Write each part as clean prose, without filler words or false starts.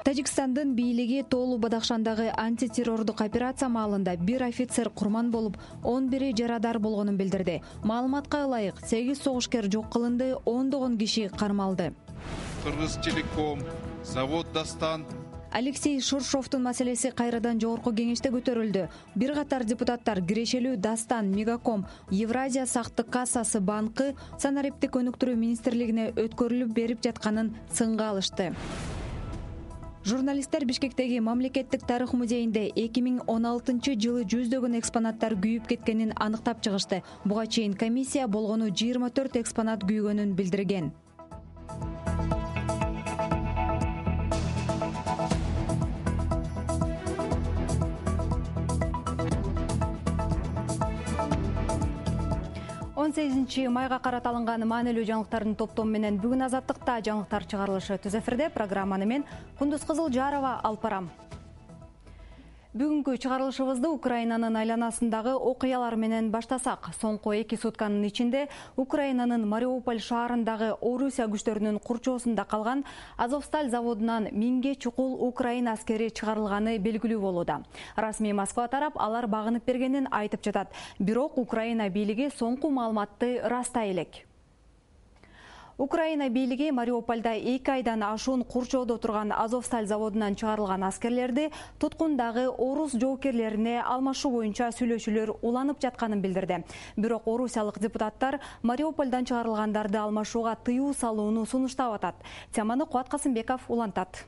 Тажикстандын бийлиги Тоолу Бадахшандагы антитеррордук операция маалында 1 офицер курман болуп, 11 жарадар болгонун билдирди. Маалыматка ылайык, 8 согушкер жок кылынды, 10 киши кармалды. Кыргызтелеком, завод Дастан. Алексей Шуршовдун маселеси кайрадан жогорку кеңеште көтөрүлдү. Бир катар депутаттар кирешелүү Дастан, Мегаком, Евразия сактык кассасы банкы санариптик өнүктүрүү министрлигине өткөрүлүп берип жатканын сынга алышты. Журналисттер Бишкектеги мамлекеттик тарых музейинде 2016-жылы жүздөгөн экспонаттар күйүп кеткенин аныктап чыгышты. Буга чейин комиссия болгону 24 экспонат күйгөнүн билдирген. Майга карата алынган маанилүү жаңылыктардын топтому менен бүгүн Азаттыкта жаңылыктар чыгарылышы түз эфирде. Программаны мен Кундуз Кызылжарова алып барам. Бүгүнкү чыгарылышыбызды Украинанын айланасындагы окуялар менен баштасак. Соңку 2 сутканын ичинде Украинанын Мариуполь шаарындагы Орусия күчтөрүнүн курчоосунда калган Азовсталь заводунан 1000ге чукул Украина аскери чыгарылганы белгилүү болууда. Расмий Москва тарап алар багынып бергенин айтып жатат. Бирок Украина бийлиги соңку маалыматты растай элек. Украина бийлиги Мариупольда 2 айдан ашуун курчоодо турган Азовсталь заводунан чыгарылган аскерлерди туткундагы орус жоокерлерине алмашуу боюнча сүйлөшүүлөр уланып жатканын билдирди. Бирок орусиялык депутаттар Мариупольдан чыгарылгандарды алмашууга тыюу салууну сунуштап атат. Теманы Кубат Касымбеков улантат.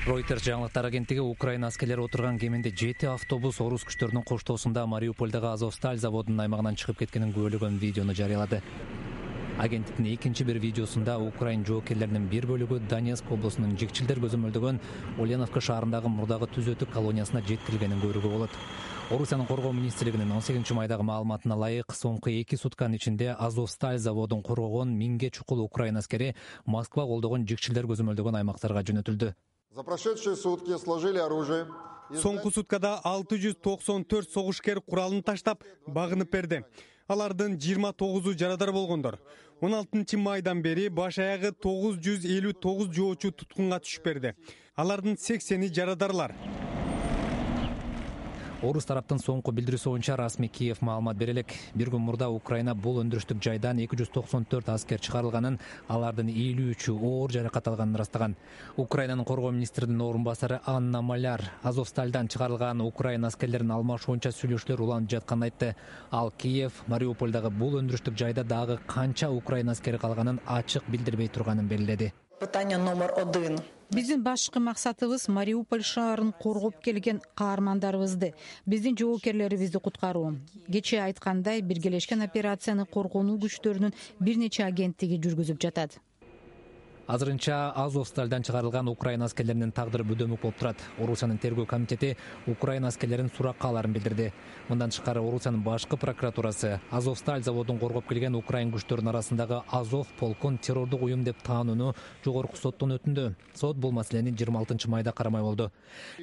Reuters жаңылыктар агенттиги Украина аскерлери отурган кеминде 7 автобус орус күчтөрүнүн коштоосунда Мариупольдагы Азовсталь заводунун аймагынан чыгып кеткенин күбөлөгөн видеону жарыялады. Агенттиктин экинчи бир видеосунда Украин жоокерлеринин бир бөлүгү Донецк облусунун Жикчилдер көзөмөлдөгөн Ульяновка шаарындагы мурдагы түзөтүк колониясына жеткирилгенин көрүүгө болот. Орусиянын коргоо министрлигинин 18 майдагы маалыматына ылайык, соңку 2 сутканын ичинде Азовсталь заводун коргогон 1000ге чукул Украина аскери Москва колдогон Жикчилдер көзөмөлдөгөн аймактарга жөнөтүлдү. За прошедшие сутки сложили оружие. Соңку суткада 694 согушкер куралын таштап, багынып берди. Алардын 29-у жарадар болгондор. 16 майдан бери баш аягы 959 жоочу туткунга түшүп берди. Алардын 80-и жарадарлар. Орус тараптын соңку билдирүүсү боюнча расмий Киев маалымат бере элек. Бир күн мурда Украина бул өндүрүштүк жайдан 294 аскер чыгарылганын, алардын 53-ü оор жаракат алганын ырастаган. Украинанын коргоо министринин орун басары Анна Маляр Азовстальдан чыгарылган Украина аскерлерин алмашуу боюнча сүйлөшүүлөр уланып жатканын айтты. Ал Киев Мариупольдагы бул өндүрүштүк жайда дагы канча Украина аскери калганын ачык билдирбей турганын белгиледи. Питание номер 1. Биздин башкы максатыбыз Мариуполь шаарын коргоп келген каармандарыбызды, биздин жоокерлерибизди куткаруу. Кечээ айткандай, биргелешкен операцияны коргонуу күчтөрүнүн бир нече агенттиги жүргүзүп жатат. Азырынча Азовстальдан чыгарылган Украина аскерлеринин тагдыры бөдөмүк болуп турат. Орусиянын тергөө комитети Украина аскерлеринин суракка аларын билдирди. Мындан тышкары Орусиянын башкы прокуратурасы Азовсталь заводун коргоп келген Украин күчтөрүнүн арасындагы Азов полкун террордук уюм деп таанууну жогорку соттон өтүндү. Сот бул маселени 26 майда карамай болду.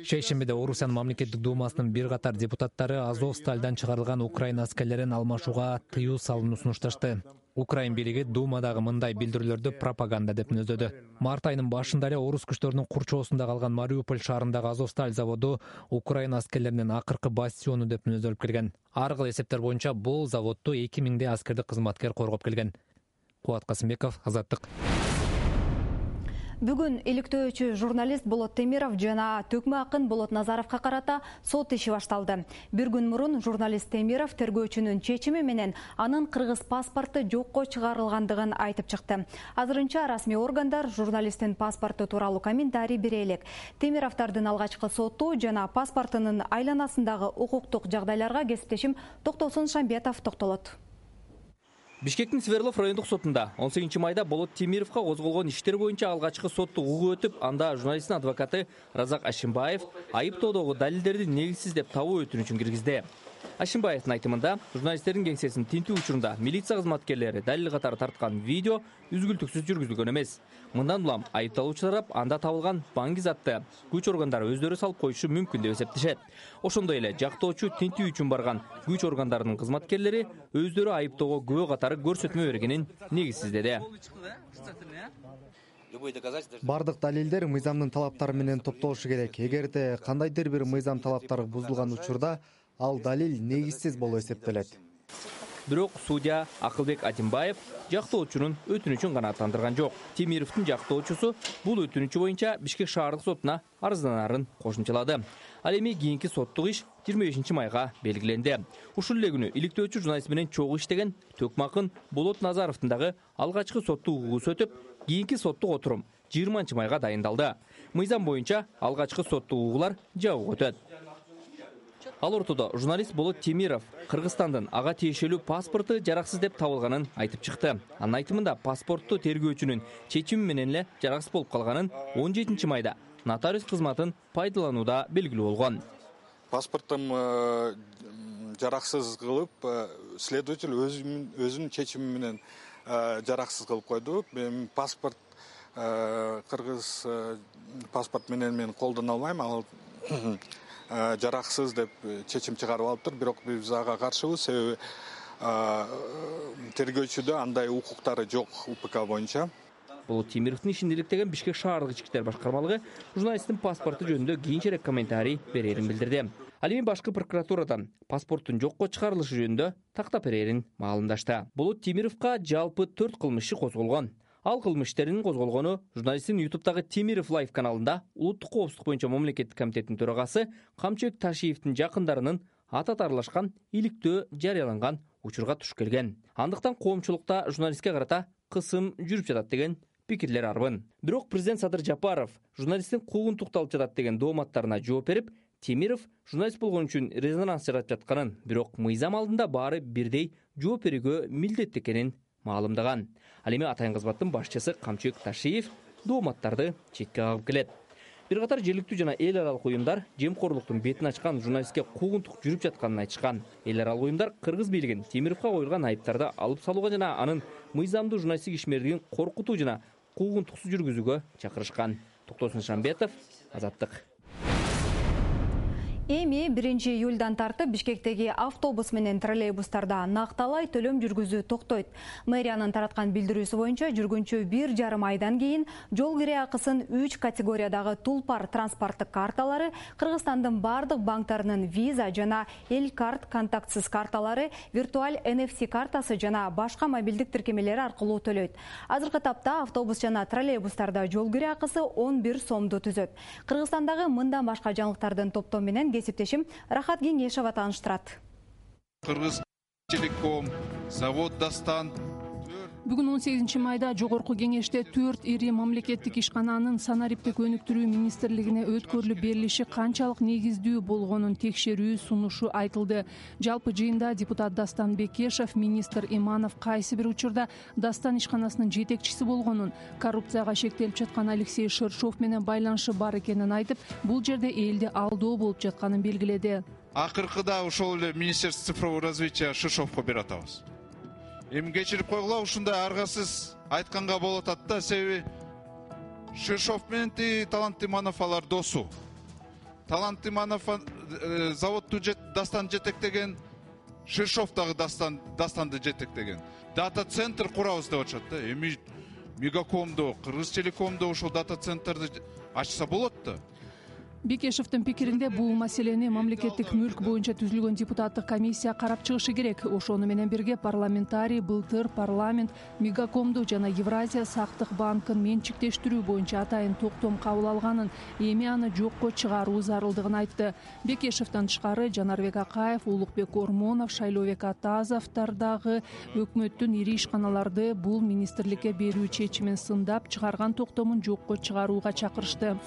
Шейшембиде Орусиянын мамлекеттик думасынын бир катар депутаттары Азовстальдан чыгарылган Украина аскерлерин алмашууга тыюу салууну сунушташты. Украин бийлиги Думадагы мындай билдирүүлөрдү пропаганда деп мүнөздөдү. Март айынын башында эле орус күчтөрүнүн курчоосунда калган Мариуполь шаарындагы Азовсталь заводу Украина аскерлеринин акыркы бастиону деп мүнөздөлүп келген. Ар кыл эсептер боюнча бул заводду 2000 аскердик кызматкер коргоп келген. Кубат Касымбеков, Азаттык. Бүгүн иликтөөчү журналист Болот Темиров жана төкмө акын Болот Назаровго карата сот иши башталды. Бир күн мурун журналист Темиров тергөөчүнүн чечими менен анын кыргыз паспорту жокко чыгарылгандыгын айтып чыкты. Азырынча расмий органдар журналисттин паспорту тууралуу комментарий бере элек. Темировдордун алгачкы соту жана паспортунун айланасындагы укуктук жагдайларга кесиптешим Токтосун Шамбетов токтолот. Бишкектин Свердлов райондук сотунда 18 майда Болот Темировго козголгон иштер боюнча алгачкы соттук угуу өтүп, анда журналисттин адвокаты Разак Ашимбаев айыптоодогу далилдерди негизсиз деп табуу өтүнүчүн киргизди. Ашимбаевдин айтымында, журналисттердин кеңсесинин тинтүү учурунда милиция кызматкерлери далил катары тарткан видео үзгүлтүксүз жүргүзүлгөн эмес. Мындан улам айыпталуучу тарап анда табылган банги затты күч органдары өздөрү салып коюшу мүмкүн деп эсептешет. Ошондой эле жактоочу тинтүү үчүн барган күч органдарынын кызматкерлери өздөрү айыптоого күбө катары көрсөтмө бергенин негизсиздеди. Бардык далилдер мыйзамдын талаптары менен топтолушу керек. Эгерде кандайдыр бир мыйзам талаптары бузулган учурда ал далил негизсиз болуп эсептелет. Бирок судья Акылбек Атимбаев жактоочунун өтүнүчүн канааттандырган жок. Темировдун жактоочусу бул өтүнүчү боюнча Бишкек шаардык сотуна арызданарын кошумчалады. Ал эми кийинки соттук иш 25 майга белгиленди. Ушул эле күнү иликтөөчү журналист менен чогуу иштеген Төкмакын Болот Назаровдун дагы алгачкы соттук угуусу өтүп, кийинки соттук отурум 20 майга дайындалды. Мыйзам боюнча алгачкы соттук угуулар жабык өтөт. Ал ортодо журналист Болот Темиров Кыргызстандын ага тиешелүү паспорту жараксыз деп табылганын айтып чыкты. Анын айтымында паспортту тергөөчүнүн чечими менен эле жараксыз болуп калганын 17 майда нотариус кызматын пайдаланууда белгилүү болгон. Паспортум жараксыз кылып, следователь өзүнүн чечими менен жараксыз кылып койду. Паспорт кыргыз паспорт менен мен колдоно албайм. Ал жараксыз деп чечим чыгарып алыптыр. Бирок биз ага каршыбыз, себеби тергөөчүдө андай укуктары жок УПК боюнча. Болот Темировдун ишин иликтеген Бишкек шаардык ички иштер башкармалыгы журналисттин паспорту жөнүндө кийинчерээк комментарий берерин билдирди. Ал эми башкы прокуратурадан паспорттун жокко чыгарылышы жөнүндө тактап берерин маалымдашты. Болот Темировго жалпы 4 кылмыш иши козголгон. Ал кылмыш иштеринин козголгону журналисттин YouTube'дагы Темиров Лайв каналында улуттук коопсуздук боюнча мамлекеттик комитеттин төрагасы Камчыбек Ташиевдин жакындарынын атат аралашкан иликтөө жарыяланган учурга туш келген. Андыктан коомчулукта журналистке карата кысым жүрүп жатат деген пикирлер арбын. Бирок президент Садыр Жапаров журналисттин куугун тукталып жатат деген дооматтарына жооп берип, Темиров журналист болгон үчүн резонанс жаратып жатканын, бирок мыйзам алдында баары бирдей жооп берүүгө милдеттүү экенин маалымдаган. Ал эми атайын кызматтын башчысы Камчыбек Ташиев дооматтарды четке кагып келет. Бир катар жергиликтүү жана эл аралык уюмдар жемкорлуктун бетин ачкан журналистке куугунтук жүрүп жатканын айтышкан. Эл аралык уюмдар кыргыз бийлигин Темировго коюлган айыптарды алып салууга жана анын мыйзамдуу журналисттик ишмердигин коркутуу жана куугунтуксуз жүргүзүүгө чакырышкан. Токтосун Шамбетов, Азаттык. Эми 1-июлдан тартып Бишкектеги автобус менен троллейбустарда накталай төлөм жүргүзүү токтойт. Мэриянын тараткан билдирүүсү боюнча жүргүнчү 1,5 айдан кийин жол кире акысын 3 категориядагы тулпар транспорттук карталары, Кыргызстандын бардык банктарынын виза жана Элкарт контактсыз карталары, виртуаль NFC картасы жана башка мобилдик тиркемелери аркылуу төлөйт. Азыркы тапта автобус жана троллейбустарда жол кире акысы 11 сомду түзөт. Кыргызстандагы мындан башка жаңылыктардын топтому менен кесиптешим Рахат Кеңешова тааныштырат. Кыргыз телеком, завод Дастан. Бүгүн 18 майда жогорку кеңеште 4 ири мамлекеттик ишкананын санариптик өнүктүрүү министрлигине өткөрүлүп берилиши канчалык негиздүү болгонун текшерүү сунушу айтылды. Жалпы жыйында депутат Дастан Бекешев, министр Иманов кайсы бир учурда Дастан ишканасынын жетекчиси болгонун, коррупцияга шектелип жаткан Алексей Шершов менен байланышы бар экенин айтып, бул жерде элди алдоо болуп жатканын белгиледи. Акыркыда ошол эле Министерство цифрового развития Шершовго берип атабыз. Эми кечирип койгула, ушундай аргасыз айтканга болот атат да, себеби Шершов менен Талант Иманов алар досу. Талант Иманов заводду Дастан жетектеген, Шершов дагы Дастанды жетектеген. Дата центр курабыз деп атышат да. Эми Мегакомдо, Кыргыз телекомдо ошол дата центрди ачса болот да. Бекешевдин пикиринде бул маселени мамлекеттик мүлк боюнча түзүлгөн депутаттык комиссия карап чыгышы керек. Ошону менен бирге парламентарий, былтыр парламент Мегакомду жана Евразия сактык банкын менчиктештирүү боюнча атайын токтом кабыл алганын, эми аны жокко чыгаруу зарылдыгын айтты. Бекешевден тышкары Жанарбек Акаев, Улукбек Ормонов, Шайлообек Атазовдор дагы өкмөттүн ири ишканаларды бул министрликке берүү чечимин сындап, чыгарган токтомун жокко чыгарууга чакырышты.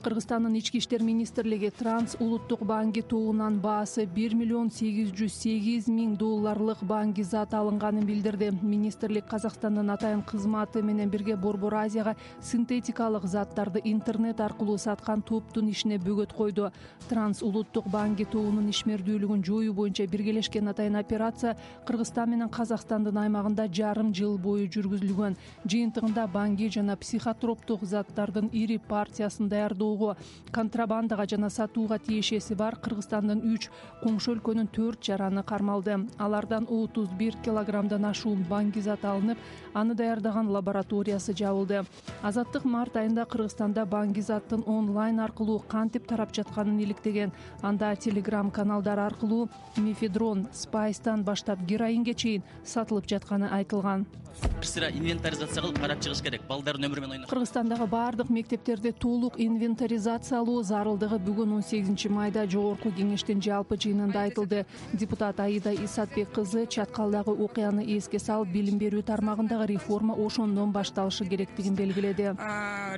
Кыргызстандын ички иштер министрлиги Транс улуттук банки тобунан баасы $1,808,000 банки зат алынганын билдирди. Министрлик Казакстандын атайын кызматы менен бирге Борбор Азияга синтетикалык заттарды интернет аркылуу саткан топтун ишине бөгөт койду. Транс улуттук банки тобунун ишмердүүлүгүн жоюу боюнча биргелешкен атайын операция Кыргызстан менен Казакстандын аймагында жарым жыл бою жүргүзүлгөн. Жыйынтыгында банки жана психотроптук заттардын ири партиясын даярдоо алууга, контрабандага жана сатууга тиешеси бар Кыргызстандын 3, коңшу өлкөнүн 4 жараны кармалды. Алардан 31 килограммдан ашуун баңгизат алынып, аны даярдаган лабораториясы жабылды. Азаттык март айында Кыргызстанда баңгизаттын онлайн аркылуу кантип тарап жатканын иликтеген. Анда телеграм каналдар аркылуу мефедрон, спайстан баштап героинге чейин сатылып жатканы айтылган. Бир сыра инвентаризация кылып карап чыгыш керек. Балдардын өмүрү менен ойноп. Кыргызстандагы бардык мектептерди толук инвентаризациялоо зарылдыгы бүгүн 18 майда жогорку кеңештин жалпы жыйынында айтылды. Депутат Аида Исатбек кызы чаткалдагы окуяны эске салып, билим берүү тармагындагы реформа ошондон башталышы керектигин белгиледи.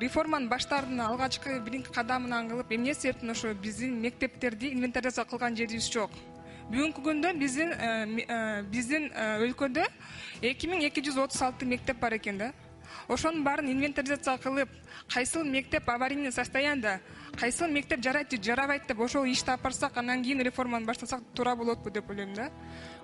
Реформанын баштардын алгачкы биринки кадамынан кылып, эмне себептен ошо биздин мектептерди инвентаризация кылган жерибиз жок. Бүгүнкү күндө биздин өлкөдө 2236 мектеп бар экен да. Ошонун баарын инвентаризация кылып, кайсыл мектеп аварийный состояниеда, кайсыл мектеп жарайт же жарабайт деп ошол ишти алып барсак, андан кийин реформаны баштасак туура болотпу деп ойлойм да.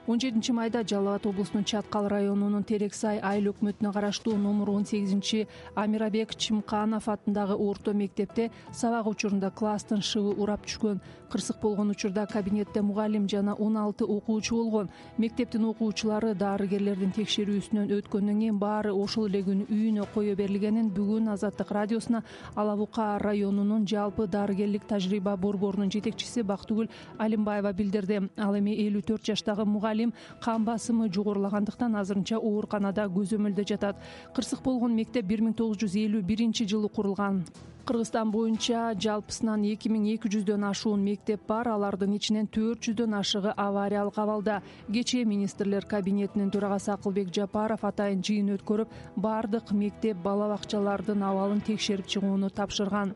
17 майда Жалал Абад облусунун Чаткал районунун Терексай айыл өкмөтүнө караштуу номер 18 Амирабек Чимканов атындагы орто мектепте сабак учурунда класстын шыбы урап түшкөн. Кырсык болгон учурда кабинетте мугалим жана 16 окуучу болгон. Мектептин окуучулары дарыгерлердин текшерүүсүнөн өткөндөн кийин баары ошол эле күнү үйүнө кое берилгенин бүгүн Азаттык радиосуна Ала Бука районунун жалпы дарыгерлик тажрыйба борборунун жетекчиси Бактыгүл Алимбаева билдирди. Ал эми 54 жаштагы мугалим кан басымы жогорулагандыктан азырынча ооруканада көзөмөлдө жатат. Кырсык болгон мектеп 1951-жылы курулган. Кыргызстан боюнча жалпысынан 2200дөн ашуун мектеп бар, алардын ичинен 400дөн ашыгы авариялык абалда. Кечээ министрлер кабинетинин төрагасы Акылбек Жапаров атайын жыйын өткөрүп, бардык мектеп бала бакчалардын абалын текшерип чыгууну тапшырган.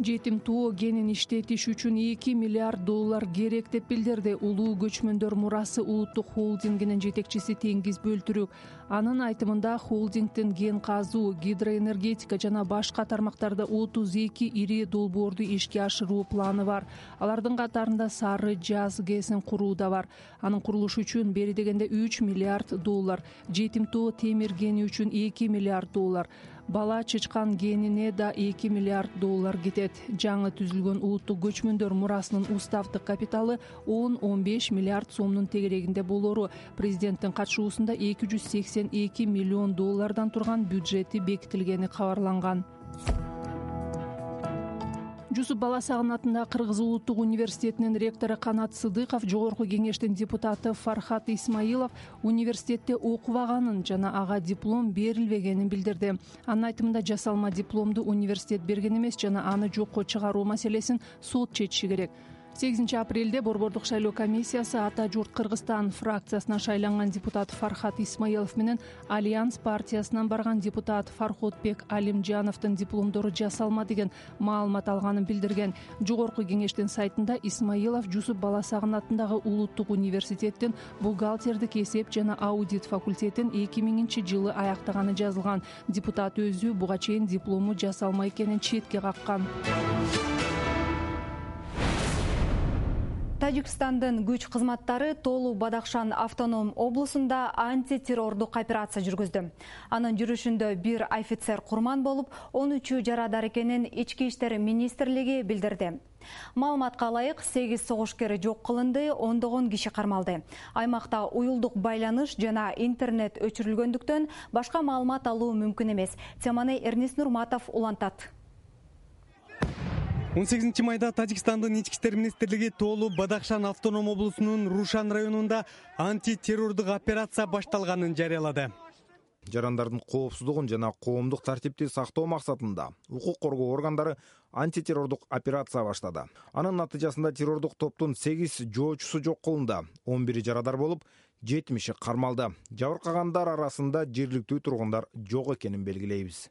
Жетим тоо генин иштетиш үчүн $2 миллиард керек деп билдирди Улуу көчмөндөр мурасы улуттук холдингинин жетекчиси Теңиз Бөлтүрүк. Анын айтымында холдингдин ген казуу, гидроэнергетика жана башка тармактарда 32 ири долбоорду ишке ашыруу планы бар. Алардын катарында Сары Жаз ГЭСин куруу да бар. Анын курулушу үчүн бери дегенде $3 миллиард, жетим тоо темир гени үчүн $2 миллиард, бала чычкан генине да $2 миллиард кетет. Жаңы түзүлгөн улуттук көчмөндөр мурасынын уставдык капиталы 10-15 миллиард сомдун тегерегинде болору. Президенттин катышуусунда $282 миллион турган бюджети бекитилгени кабарланган. Жусуп Баласагын атындагы Кыргыз улуттук университетинин ректору Канат Сыдыков, жогорку кеңештин депутаты Фархат Исмаилов университетте окубаганын жана ага диплом берилбегенин билдирди. Анын айтымында жасалма дипломду университет берген эмес жана аны жокко чыгаруу маселесин сот чечиши керек. 8 апрелде борбордук шайлоо комиссиясы Ата журт Кыргызстан фракциясынан шайланган депутат Фархат Исмаилов менен Альянс партиясынан барган депутат Фархотбек Алимжановдун дипломдору жасалма деген маалымат алганын билдирген. Жогорку кеңештин сайтында Исмаилов Жусуп Баласагын атындагы улуттук университеттин бухгалтердик эсеп жана аудит факультетин 2000-жылы аяктаганы жазылган. Депутат өзү буга чейин диплому жасалма экенин четке каккан. Тажикстандын күч кызматтары Толу Бадахшан автоном облусунда антитеррордук операция жүргүздү. Анын жүрүшүндө бир офицер курман болуп, 13 жарадар экенин Ички иштер министрлиги билдирди. Маалыматка ылайык 8 согушкер жок кылынды, ондогон киши кармалды. Аймакта уюлдук байланыш жана интернет өчүрүлгөндүктөн башка маалымат алуу мүмкүн эмес. Теманы Эрнис Нурматов улантат. 18 майда Тажикстандын Ички иштер министрлиги Толу Бадахшан автоном облусунун Рушан районунда антитеррордук операция башталганын жарыялады. Жарандардын коопсуздугун жана коомдук тартипти сактоо максатында укук коргоо органдары антитеррордук операция баштады. Анын натыйжасында террордук топтун 8 жоочусу жок кылынды, 11 жарадар болуп, 70 кармалды. Жабыркагандар арасында жергиликтүү тургундар жок экенин белгилейбиз.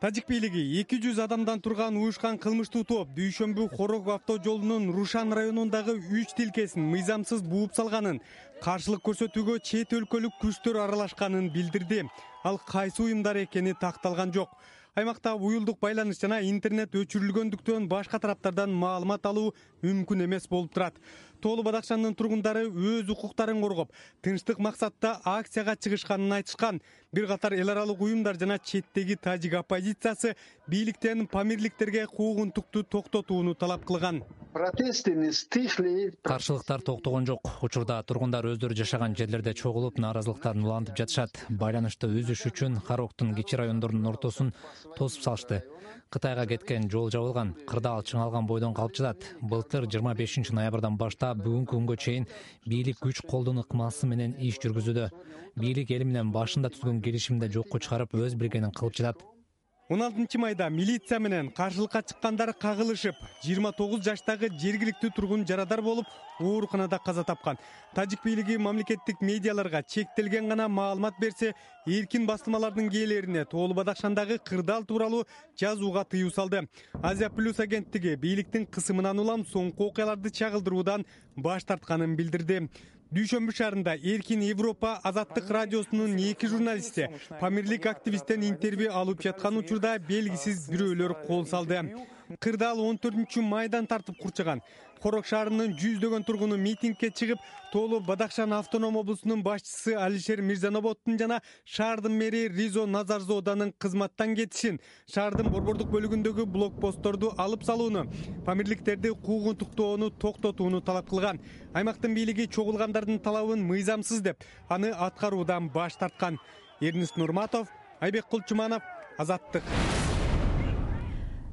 Тажик бийлиги 200 адамдан турган уюшкан кылмыштуу топ Дүйшөмбү Хорог автожолунун Рушан районундагы 3 тилкесин мыйзамсыз бууп салганын, каршылык көрсөтүүгө чет өлкөлүк күчтөр аралашканын билдирди. Ал кайсы уюмдар экени такталган жок. Аймакта уюлдук байланыш жана интернет өчүрүлгөндүктөн башка тараптардан маалымат алуу мүмкүн эмес болуп турат. Тоолу Бадакшандын тургундары өз укуктарын коргоп, тынчтык максатта акцияга чыгышканын айтышкан. Бир катар эл аралык уюмдар жана четтеги тажик оппозициясы бийликтен памирликтерге куугунтукту токтотууну талап кылган. Каршылыктар токтогон жок. Учурда тургундар өздөрү жашаган жерлерде чогулуп, нааразылыктарын улантып жатышат. Байланышты үзүш үчүн Хароктун кичи райондорунун ортосун тосуп салышты. Кытайга кеткен жол жабылган, кырдаал чыңалган бойдон калып жатат. Былтыр 25 ноябрдан баштап бүгүнкү күнгө чейин бийлик күч колдонуу ыкмасы менен иш жүргүзүүдө. Бийлик эл менен башында түзгөн келишимди жокко чыгарып, өз билгенин кылып жатат. 16 майда милиция менен каршылыкка чыккандар кагылышып, 29 жаштагы жергиликтүү тургун жарадар болуп, ооруканада каза тапкан. Тажик бийлиги мамлекеттик медиаларга чектелген гана маалымат берсе, эркин басылмалардын ээлерине Тоолу Бадакшандагы кырдаал тууралуу жазууга тыюу салды. Азия Плюс агенттиги бийликтин кысымынан улам соңку окуяларды чагылдыруудан баш тартканын билдирди. Дүйшөмбү шаарында Эркин Европа Азаттык радиосунун 2 журналисти памирлик активисттен интервью алып жаткан учурда белгисиз бирөөлөр кол салды. Кырдаал 14 майдан тартып курчаган. Хорок шаарынын жүздөгөн тургуну митингке чыгып, Тоолу Бадакшан автоном облусунун башчысы Алишер Мирзаноботтун жана шаардын мэри Ризо Назарзоданын кызматтан кетишин, шаардын борбордук бөлүгүндөгү блокпостторду алып салууну, памирликтерди куугунтуктоону токтотууну талап кылган. Аймактын бийлиги чогулгандардын талабын мыйзамсыз деп, аны аткаруудан баш тарткан. Эрнис Нурматов, Айбек Кулчуманов, Азаттык.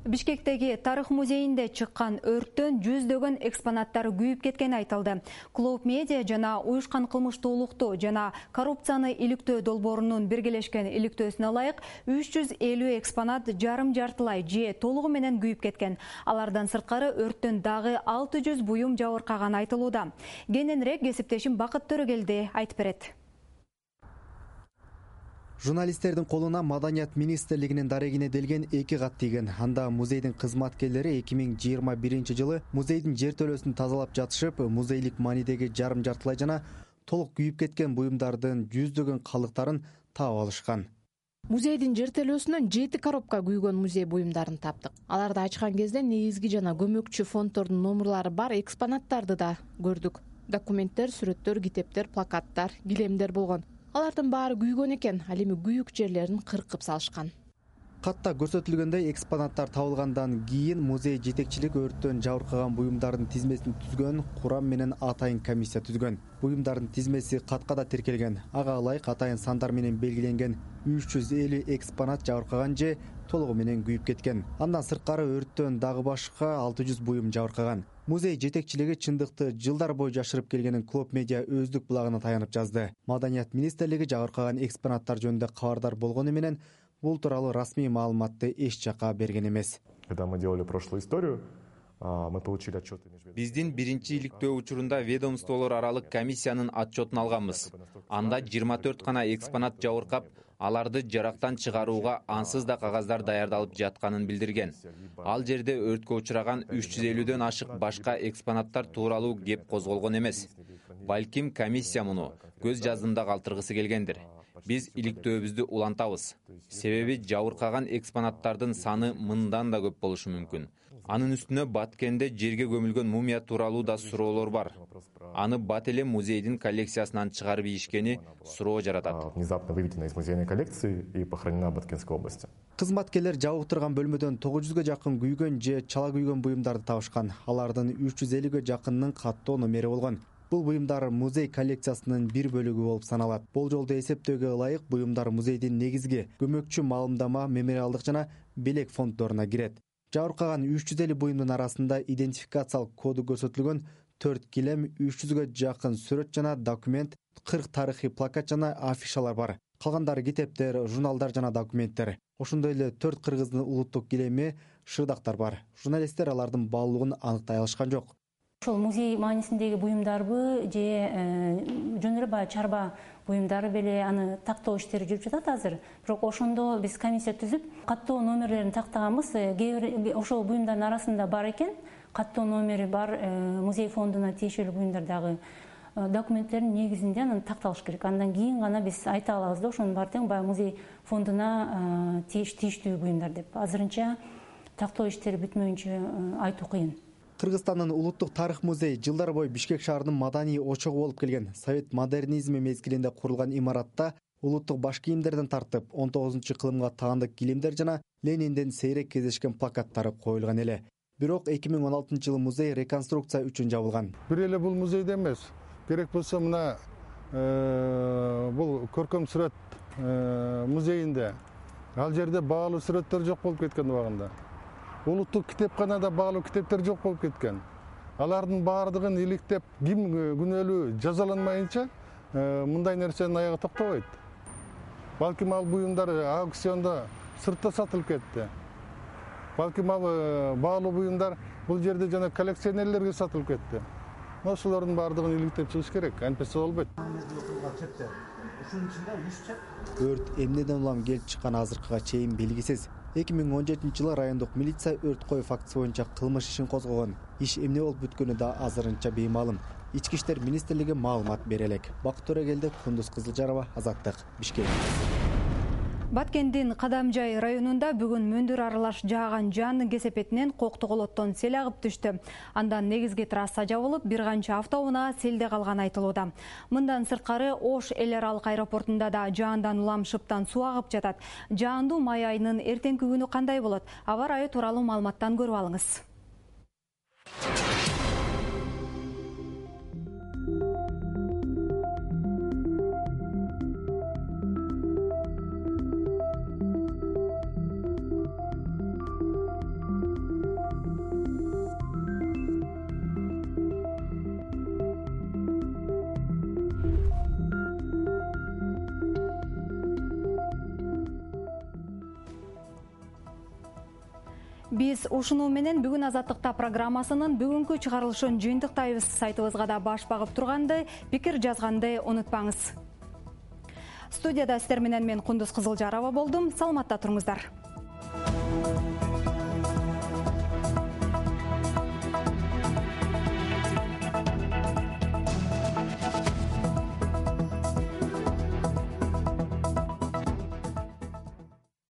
Бишкектеги тарых музейинде чыккан өрттөн жүздөгөн экспонаттар күйүп кеткени айтылды. Клоуд Медиа жана уюшкан кылмыштуулукту жана коррупцияны иликтөө долбоорунун биргелешкен иликтөөсүнө ылайык 350 экспонат жарым-жартылай же толугу менен күйүп кеткен. Алардан сырткары өрттөн дагы 600 буюм жабыркаганы айтылууда. Кененирээк кесиптешим Бакыт Төрөгелди айтып берет. Журналисттердин колуна Маданият министрлигинин дарегине делген 2 кат тийген. Анда музейдин кызматкерлери 2021 жылы музейдин жертөлөсүн тазалап жатышып, музейлик маанидеги жарым-жартылай жана толук күйүп кеткен буюмдардын жүздөгөн калдыктарын таап алышкан. Музейдин жертөлөсүнөн 7 коробка күйгөн музей буюмдарын таптык. Аларды ачкан кезде негизги жана көмөкчү фонддордун номерлары бар экспонаттарды да көрдүк. Документтер, сүрөттөр, китептер, плакаттар, килемдер болгон. Алардын баары күйгөн экен, ал эми күйүк жерлерин кыркып салышкан. Катта көрсөтүлгөндөй экспонаттар табылгандан кийин музей жетекчилиги өрттөн жабыркаган буюмдардын тизмесин түзгөн, курам менен атайын комиссия түзгөн. Буюмдардын тизмеси каткада тиркелген. Ага ылайык атайын сандар менен белгиленген 350 экспонат жабыркаган же толугу менен күйүп кеткен. Андан сырткары өрттөн дагы башка 600 буюм жабыркаган. Музей жетекчилиги чындыкты жылдар бою жашырып келгенин Клоуд Медиа өздүк булагына таянып жазды. Маданият министрлиги жабыркаган экспонаттар жөнүндө кабардар болгону менен бул тууралуу расмий маалыматты эч жакка берген эмес. Когда мы делали прошлую историю, мы получили отчеты. Биздин биринчи иликтөө учурунда ведомстволор аралык комиссиянын отчетун алганбыз. Анда 24 гана экспонат жабыркап, аларды жарактан чыгарууга ансыз да кагаздар даярдалып жатканын билдирген. Ал жерде өрткө учураган 350дөн ашык башка экспонаттар тууралуу кеп козголгон эмес. Балким комиссия муну көз жаздымда калтыргысы келгендир. Биз иликтөөбүздү улантабыз. Себеби жабыркаган экспонаттардын саны мындан да көп болушу мүмкүн. Анын үстүнө Баткенде жерге көмүлгөн мумия тууралуу да суроолор бар. Аны бат эле музейдин коллекциясынан чыгарып ийишкени суроо жаратат. Внезапно выведена из музейной коллекции и похоронена в Баткенской области. Кызматкерлер жабыктырган бөлмөдөн 900га жакын күйгөн же чала күйгөн буюмдарды табышкан. Алардын 350ге жакынынын каттоо номери болгон. Бул буюмдар музей коллекциясынын бир бөлүгү болуп саналат. Болжолду эсептөөгө ылайык буюмдар музейдин негизги көмөкчү маалымдама, мемориалдык жана белек фонддоруна кирет. Жабыркаган 350 буюмдун арасында идентификациялык коду көрсөтүлгөн 4 килем, 300га жакын сүрөт жана документ, 40 тарыхый плакат жана афишалар бар. Калгандары китептер, журналдар жана документтер. Ошондой эле 4 кыргыздын улуттук килеми, шырдактар бар. Журналисттер алардын баалуулугун аныктай алышкан жок. Ошол музей маанисиндеги буюмдарбы же жөн эле баягы чарба буюмдары беле аны тактоо иштери жүрүп жатат азыр. Бирок ошондо биз комиссия түзүп, каттоо номерлерин тактаганбыз. Ошол буюмдардын арасында бар экен, каттоо номери бар музей фондуна тиешелүү буюмдардагы документтердин негизинде анан такталыш керек. Андан кийин гана биз айта алабыз да ошонун баары тең баягы музей фондуна тийиштүү буюмдар деп. Азырынча тактоо иштери бүтмөйүнчө айтуу кыйын. Кыргызстандын улуттук тарых музейи жылдар бою Бишкек шаарынын маданий очогу болуп келген. Совет модернизми мезгилинде курулган имаратта улуттук баш кийимдерден тартып 19-кылымга таандык килимдер жана Ленинден сейрек кездешкен плакаттары коюлган эле. Бирок 2016-жылы музей реконструкция үчүн жабылган. Бир эле бул музейде эмес, керек болсо мына бул көркөм сүрөт музейинде ал жерде баалуу сүрөттөр жок болуп кеткен убагында. Улуттук китепканада баалуу китептер жок болуп кеткен. Алардын баардыгын иликтеп, ким күнөөлүү жазаланмайынча мындай нерсенин аягы токтобойт. Балким ал буюмдар аукциондо сыртта сатылып кетти. Балким ал баалуу буюмдар бул жерде жана коллекционерлерге сатылып кетти. Ошолордун баардыгын иликтеп чыгыш керек, антпесе болбойт. Өрт эмнеден улам келип чыкканы азыркыга чейин белгисиз. 2017-жылы райондук милиция өрт кою фактысы боюнча кылмыш ишин козгогон. Иш эмне болуп бүткөнү да азырынча беймаалым. Ички иштер министрлиги маалымат бере элек. Бакыт Төрөгелди, Кундуз Кызылжарова, Азаттык, Бишкек. Баткендин Кадамжай районунда бүгүн мөндүр аралаш жааган жаандын кесепетинен Кокту колоттон сел агып түштү. Андан негизги трасса жабылып, бир канча автоунаа селде калганы айтылууда. Мындан сырткары Ош эл аралык аэропортунда да жаандан улам шыптан суу агып жатат. Жаандуу май айынын эртеңки күнү кандай болот? Аба ырайы тууралуу маалыматтан көрүп алыңыз. Биз ушуну менен бүгүн Азаттыкта программасынын бүгүнкү чыгарылышын жыйынтыктайбыз. Сайтыбызга да баш багып турганды, пикир жазганды унутпаңыз. Студияда сиздер менен мен Кундуз Кызылжарова болдум. Саламатта туруңуздар.